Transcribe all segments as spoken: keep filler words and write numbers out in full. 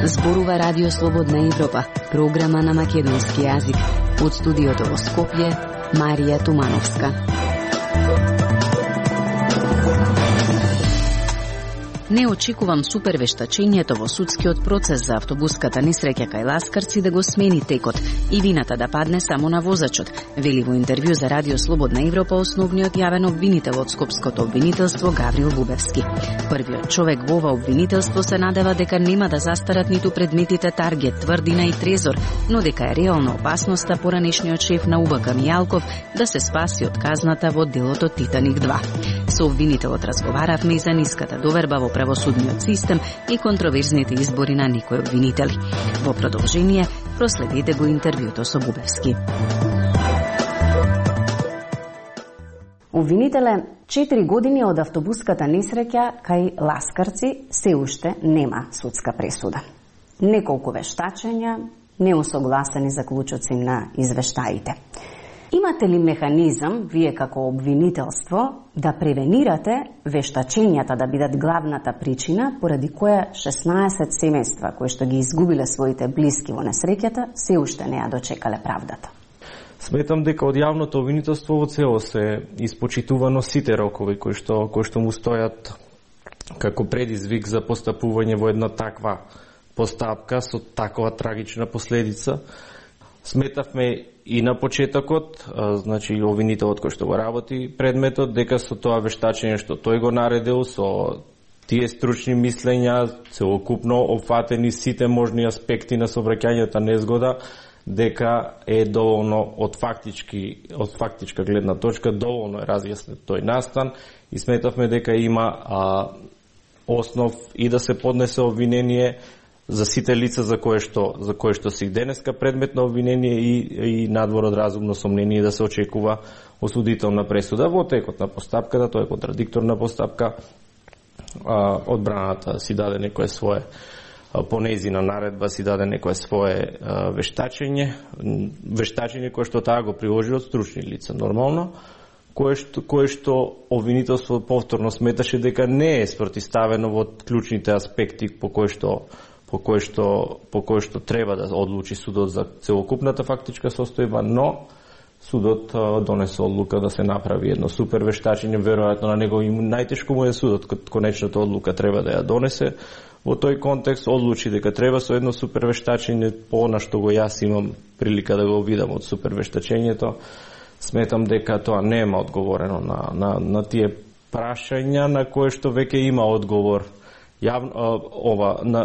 Зборува Радио Слободна Европа, програма на македонски јазик. Од студиото во Скопје, Марија Тумановска. Не очекувам супервештачењето во судскиот процес за автобуската несреќа кај Ласкарци да го смени текот и вината да падне само на возачот, вели во интервју за Радио Слободна Европа основниот јавен обвинител од Скопското обвинителство Гаврил Бубевски. Првиот човек во ова обвинителство се надева дека нема да застарат ниту предметите Таргет, Тврдина и Трезор, но дека е реална опасноста поранешниот шеф на УБК Мијалков да се спаси од казната во делото Титаник два. Со обвинителот разговаравме и за ниската доверба во правосудниот систем и контроверзните избори на некои обвинители. Во продолжение, проследете го интервјуто со Бубевски. Обвинителе, четири години од автобуската несреќа кај Ласкарци се уште нема судска пресуда. Неколку вештачења, неусогласени заклучоци на извештаите. Имате ли механизам, вие како обвинителство, да превенирате вештачењата да бидат главната причина поради која шеснаесет семејства кои што ги изгубиле своите блиски во несреќата се уште не ја дочекале правдата? Сметам дека од јавното обвинителство во целост се испочитувано сите рокови кои што кои што му стојат како предизвик за постапување во една таква постапка со таква трагична последица. Сметавме и на почетокот, значи обвинителот кој што го работи предметот, дека со тоа вештачење што тој го наредил, со тие стручни мислења, целокупно опфатени сите можни аспекти на сообраќајната незгода, дека е доволно од фактички од фактичка гледна точка доволно е разјаснет тој настан и сметавме дека има а, основ и да се поднесе обвинение за сите лица за кое што за кое што се денеска предмет на обвинение и и надвор од разумно сомнение да се очекува осудителна пресуда во текот на постапката. Тоа е контрадикторна постапка. А, одбраната си даде некое свое по нејзина наредба си даде некое свое а, вештачење, вештачење кое што таа го приложи од стручни лица нормално, кое што кое што обвинителство повторно сметаше дека не е спротивставено во клучните аспекти по кои што по кој што по кој што треба да одлучи судот за целокупната фактичка состојба, но судот донесе одлука да се направи едно супер вештачење, веројатно на него и најтешко му е судот, конечната одлука треба да ја донесе. Во тој контекст одлучи дека треба со едно супер вештачење, по она што го јас имам прилика да го видам од супер вештачењето, сметам дека тоа нема одговорено на, на, на тие прашања на кое што веќе има одговор. Јавно, ова на,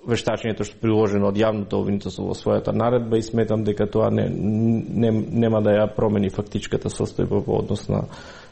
вештачењето што приложено од јавното обвинителство во својата наредба и сметам дека тоа не, не, нема да ја промени фактичката состојба во однос на,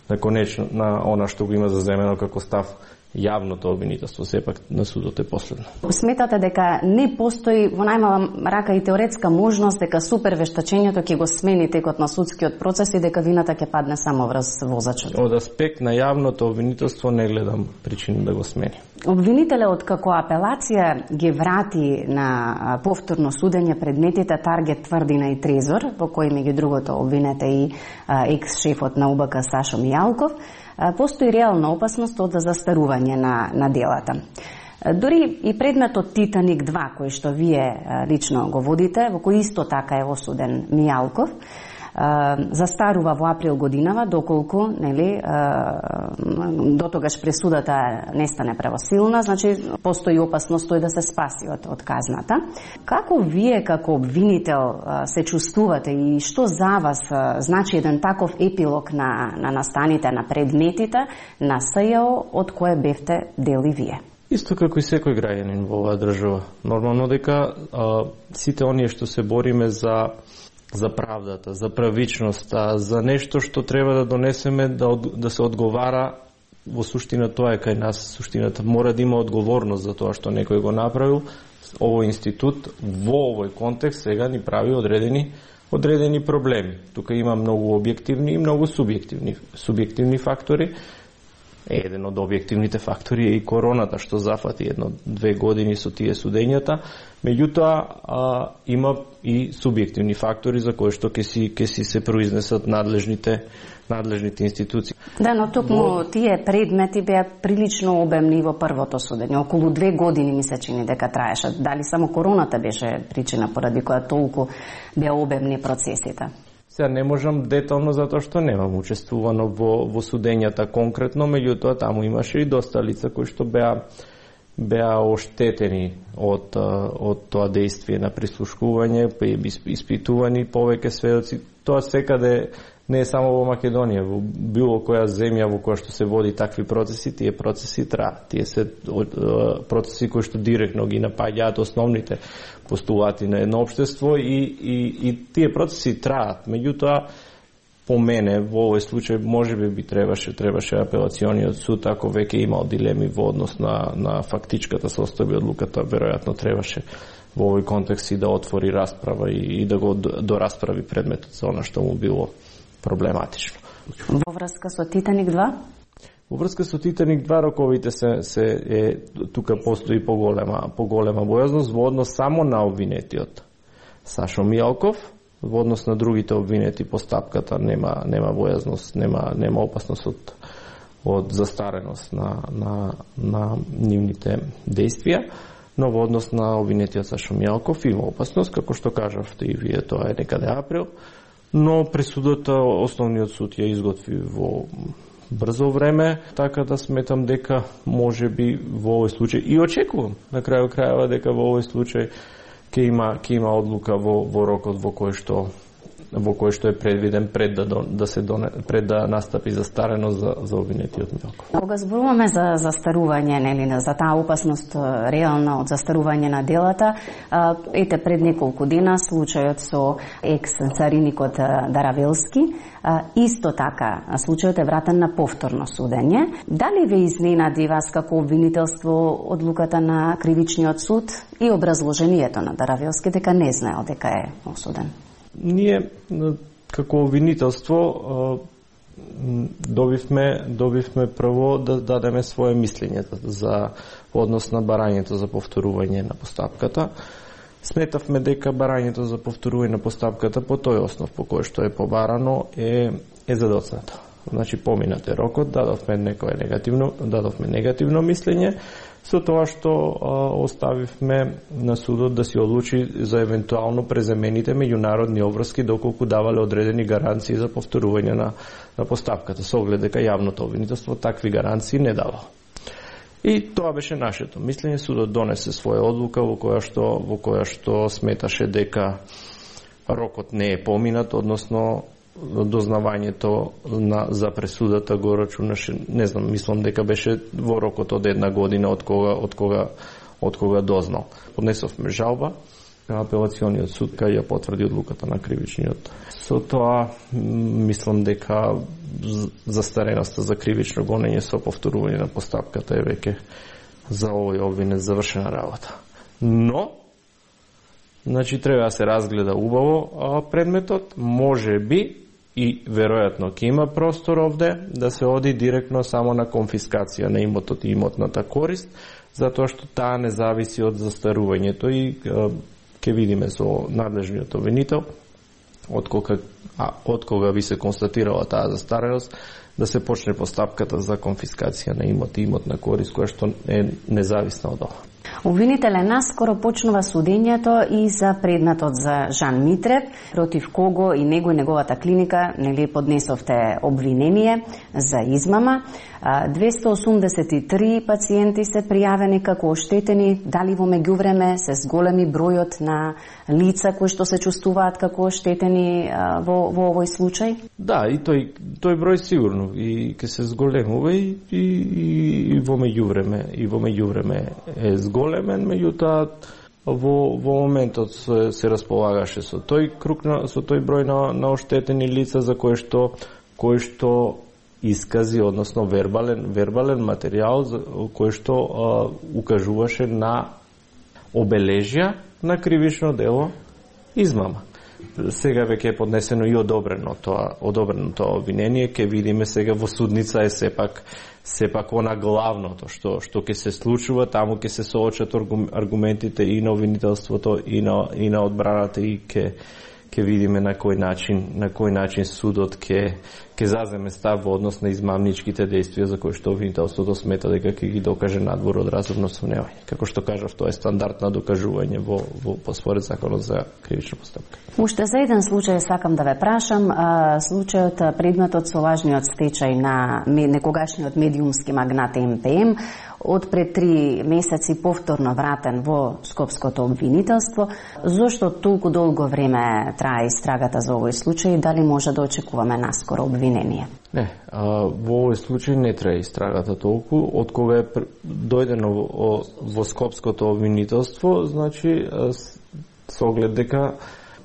на конечно на она што го има заземено како став јавното обвинителство, сепак на судот е последно. Сметате дека не постои во најмала рака и теоретска можност дека супер вештачењето ќе го смени текот на судскиот процес и дека вината ќе падне само врз возачот? Од аспект на јавното обвинителство не гледам причини да го смени. Обвинителот како апелација ги врати на повторно судење предметите Таргет, Тврдина и Трезор, во кои меѓу другото обвинете и екс-шефот на УБК Сашо Мијалков. Постои реална опасност од застарување на, на делата. Дори и предметот Титаник два, кој што вие лично го водите, во кој исто така е осуден Мијалков, застарува во април годинава, доколку нели дотогаш пресудата не стане правосилна, значи постои опасност тој да се спаси од, од казната. Како вие како обвинител се чувствувате и што за вас значи еден таков епилог на, на настаните на предметите на СЈО од кое бевте дел и вие? Исто како и секој граѓанин во оваа држава. Нормално дека а, сите оние што се бориме за за правдата, за правичноста, за нешто што треба да донесеме да, да се одговара, во суштина тоа е кај нас, суштината мора да има одговорност за тоа што некој го направил. Овој институт во овој контекст сега ни прави одредени одредени проблеми. Тука има многу објективни и многу субјективни субјективни фактори. Еден од објективните фактори е и короната, што зафати едно-две години со тие судењата. Меѓутоа, а, има и субјективни фактори за кои што ќе си, ќе си се произнесат надлежните, надлежните институции. Да, но токму Во... тие предмети беа прилично обемни во првото судење. Околу две години ми се чини дека траеше. Дали само короната беше причина поради која толку беа обемни процесите? Сега не можам детално затоа што немам учествувано во, во судењата конкретно, меѓутоа таму имаше и доста лица кои што беа беа оштетени од од тоа дејствие на прислушкување, испитувани повеќе сведоци. Тоа секаде не е само во Македонија, во било која земја во која што се води такви процеси, тие процеси траат. Тие се процеси кои што директно ги напаѓаат основните постулати на едно општество и, и, и тие процеси траат. Меѓутоа, по мене, во овој случај, може би би требаше, требаше апелациониот суд, ако веќе имал дилеми во однос на, на фактичката состојба одлуката, веројатно требаше во овој контекст и да отвори расправа и, и да го дорасправи предметот за она што му било проблематично. Во врска со Титаник два? Во врска со Титаник два роковите се, се е, тука постои поголема, поголема бојазност во однос само на обвинетиот Сашо Мијалков. Во однос на другите обвинети по стапката нема нема бојазност, нема нема опасност од од застареност на на на нивните дејствија, но во однос на обвинетиот Сашо Мијалков има опасност, како што кажавте и вие, тоа е некаде април, но пресудата основниот суд ја изготви во брзо време, така да сметам дека може би во овој случај и очекувам на крају крајава дека во овој случај ќе има ќе има одлука во во рокот во кој што во кој што е предвиден пред да да се доне, пред да настапи застареност за за обвинетиот Мијалков. Кога зборуваме за застарување, нели, за таа опасност реална од застарување на делата, ете пред неколку дена случајот со екс-цариникот Даравелски, исто така случајот е вратен на повторно судење. Дали ве изненади вас како обвинителство одлуката на кривичниот суд и образложението на Даравелски дека не знаел дека е осуден? Ние како обвинителство добивме добивме прво да дадеме свое мислење за однос на барањето за повторување на постапката. Сметавме дека барањето за повторување на постапката по тој основ по кој што е побарано е е задоцнато. Значи поминат е рокот, дадовме некое негативно, дадовме негативно мислење, со тоа што а, оставивме на судот да си одлучи за евентуално презамените меѓународни обврски доколку давале одредени гаранции за повторување на, на постапката, со оглед дека јавното обвинителство такви гаранции не давало. И тоа беше нашето мислење. Судот донесе своја одлука во која што во која што сметаше дека рокот не е поминат, односно дознавањето на за пресудата го рачунаше, не знам, мислам дека беше во рокот од една година од кога од кога од кога дознал. Поднесовме жалба на апелациониот суд кај ја потврди одлуката на кривичниот. Со тоа мислам дека застареноста за кривично гонење со повторување на постапката е веќе за овој обвинет завршена работа. Но значи треба да се разгледа убаво а предметот, може би и веројатно ќе има простор овде да се оди директно само на конфискација на имотот и имотната корист, затоа што таа не зависи од застарувањето и ќе видиме со надлежниот обвинител од кога а од кога би се констатирала таа застареност да се почне постапката за конфискација на имот и имотна корист која што е независна од ова. Обвинителе, наскоро почнува судењето и за предметот за Жан Митрев, против кого и него и неговата клиника нели поднесовте обвинение за измама. двеста осумдесет и три пациенти се пријавени како оштетени, дали во меѓувреме се зголеми бројот на лица кои што се чувствуваат како оштетени во, во овој случај? Да, и тој тој број сигурно и ќе се зголемува и, и, и во меѓувреме и во меѓувреме е зголемен, меѓутоа во во моментот се, се располагаше со тој круг на, со тој број на, на оштетени лица за кои што кои што искази, односно вербален вербален материјал за кој што а, укажуваше на обележја на кривично дело измама. сега веќе е поднесено и одобрено тоа, одобрено тоа обвинение, ќе видиме сега во судница е сепак сепак она главното што што ќе се случува, таму ќе се соочат аргументите и на обвинителството и на и на одбраната и ќе ќе видиме на кој начин на кој начин судот ќе ќе заземе став во однос на измамничките действија за кои што обвинителството смета дека ќе ги докаже надвор од разумно сомневање. Како што кажав, тоа е стандард на докажување во во по според законот за кривична постапка. Уште за еден случај сакам да ве прашам, а, случајот предметот со лажниот стечај на некогашниот медиумски магнат Ем Пе Ем од пред три месеци повторно вратен во Скопското обвинителство. Зошто толку долго време трае истрагата за овој случај? Дали може да очекуваме наскоро обвинение? Не, а, во овој случај не трае истрагата толку. Од кога е дојдено во, во Скопското обвинителство, значи со оглед дека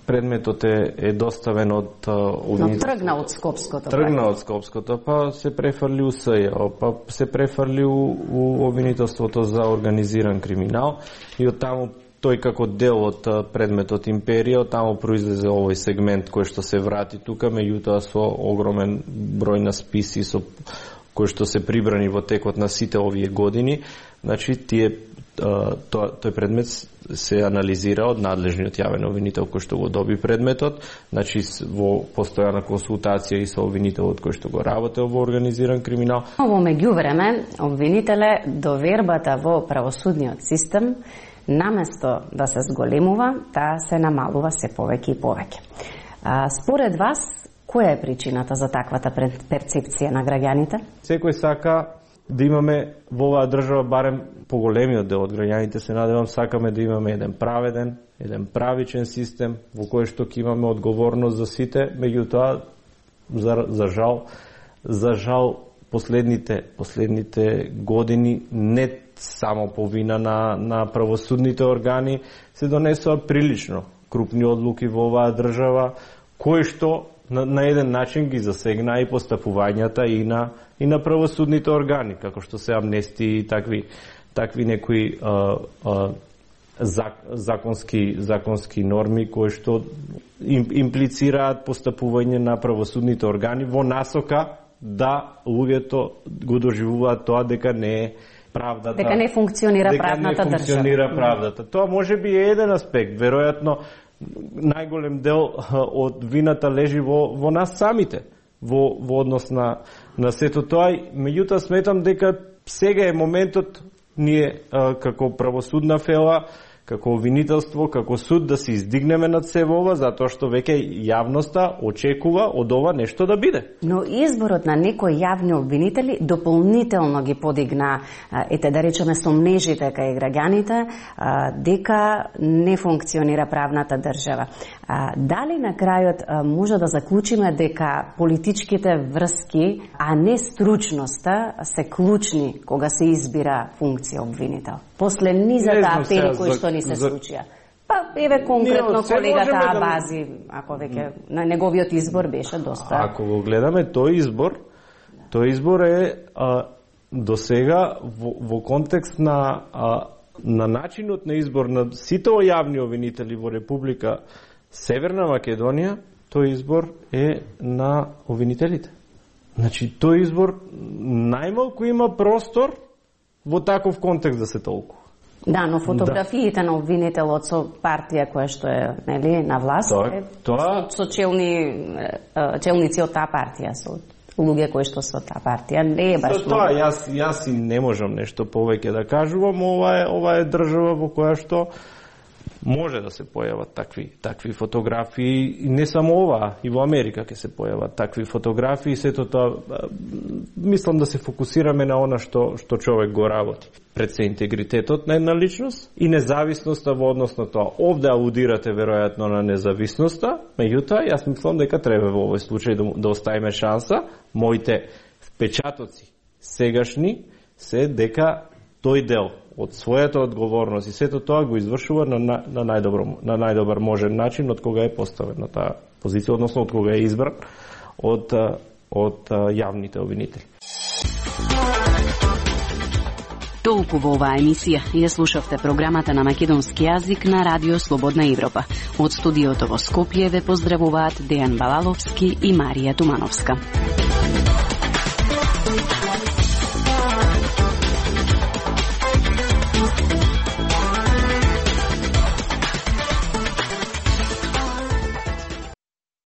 предметот е, е доставен од обвинителството. Но тргна од Скопското. Тргна од Скопското, па се префрли у С Ј, па се префрли у, у обвинителството за организиран криминал и од таму тој како дел од предметот Империја, од таму произлезе овој сегмент кој што се врати тука, меѓутоа со огромен број на списи со кои што се прибрани во текот на сите овие години. Значи тие Тој, тој предмет се анализира од надлежниот јавен обвинител кој што го доби предметот, значи во постојана консултација и со обвинителот кој што го работел во организиран криминал. Во меѓувреме, обвинителе, довербата во правосудниот систем, наместо да се зголемува, таа се намалува се повеќе и повеќе. А, според вас, која е причината за таквата перцепција на граѓаните? Секој сака да имаме во оваа држава, барем поголемиот дел од граѓаните, се надевам, сакаме да имаме еден праведен, еден правичен систем во кој што ќе имаме одговорност за сите, меѓутоа за, за жал, за жал последните последните години не само по вина на на правосудните органи се донесоа прилично крупни одлуки во оваа држава кои што на, на еден начин ги засегна и постапувањата и на и на правосудните органи, како што се амнестии и такви такви некои а, а, законски законски норми кои што им, имплицираат постапување на правосудните органи во насока да луѓето го доживуваат тоа дека не е правдата, дека не функционира дека правната не функционира држава. правдата. Тоа може би е еден аспект, веројатно најголем дел од вината лежи во во нас самите, во во однос на на сето тоа, меѓутоа сметам дека сега е моментот ние а, како правосудна фела, како обвинителство, како суд да се издигнеме над се ова, затоа што веќе јавноста очекува од ова нешто да биде. Но изборот на некои јавни обвинители дополнително ги подигна, ете да речеме, сомнежите кај граѓаните дека не функционира правната држава. Дали на крајот може да заклучиме дека политичките врски, а не стручноста, се клучни кога се избира функција обвинител? После низата апели кои што ни се за... случија. Па, еве конкретно колегата Абази, да... ако веќе на неговиот избор беше доста... Ако го гледаме тој избор, тој избор е а, до сега во, во контекст на, а, на начинот на избор на сите јавни обвинители во Република Северна Македонија, тој избор е на обвинителите. Значи, тој избор најмалку има простор во таков контекст да се толкува. Да, но фотографиите да. на обвинителот со партија која што е, нели, на власт, тоа, е, тоа... со челни челници од таа партија, со луѓе кои што со таа партија, не е баш со тоа јас јас и не можам нешто повеќе да кажувам, ова е ова е држава во која што може да се појават такви такви фотографии, и не само ова, и во Америка ќе се појават такви фотографии, сето тоа мислам да се фокусираме на она што што човек го работи. Пред се интегритетот на една личност и независноста во однос на тоа. Овде аудирате веројатно на независноста, меѓутоа јас мислам дека треба во овој случај да, да оставиме шанса. Моите впечатоци сегашни се дека тој дел од својата одговорност и сето тоа го извршува на, на, на, најдобро, на најдобар можен начин од кога е поставен на таа позиција, односно од кога е избран од, од, од јавните обвинители. Толку во оваа емисија. Ја слушавте програмата на македонски јазик на Радио Слободна Европа. Од студиото во Скопје ве поздравуваат Дејан Балаловски и Марија Тумановска.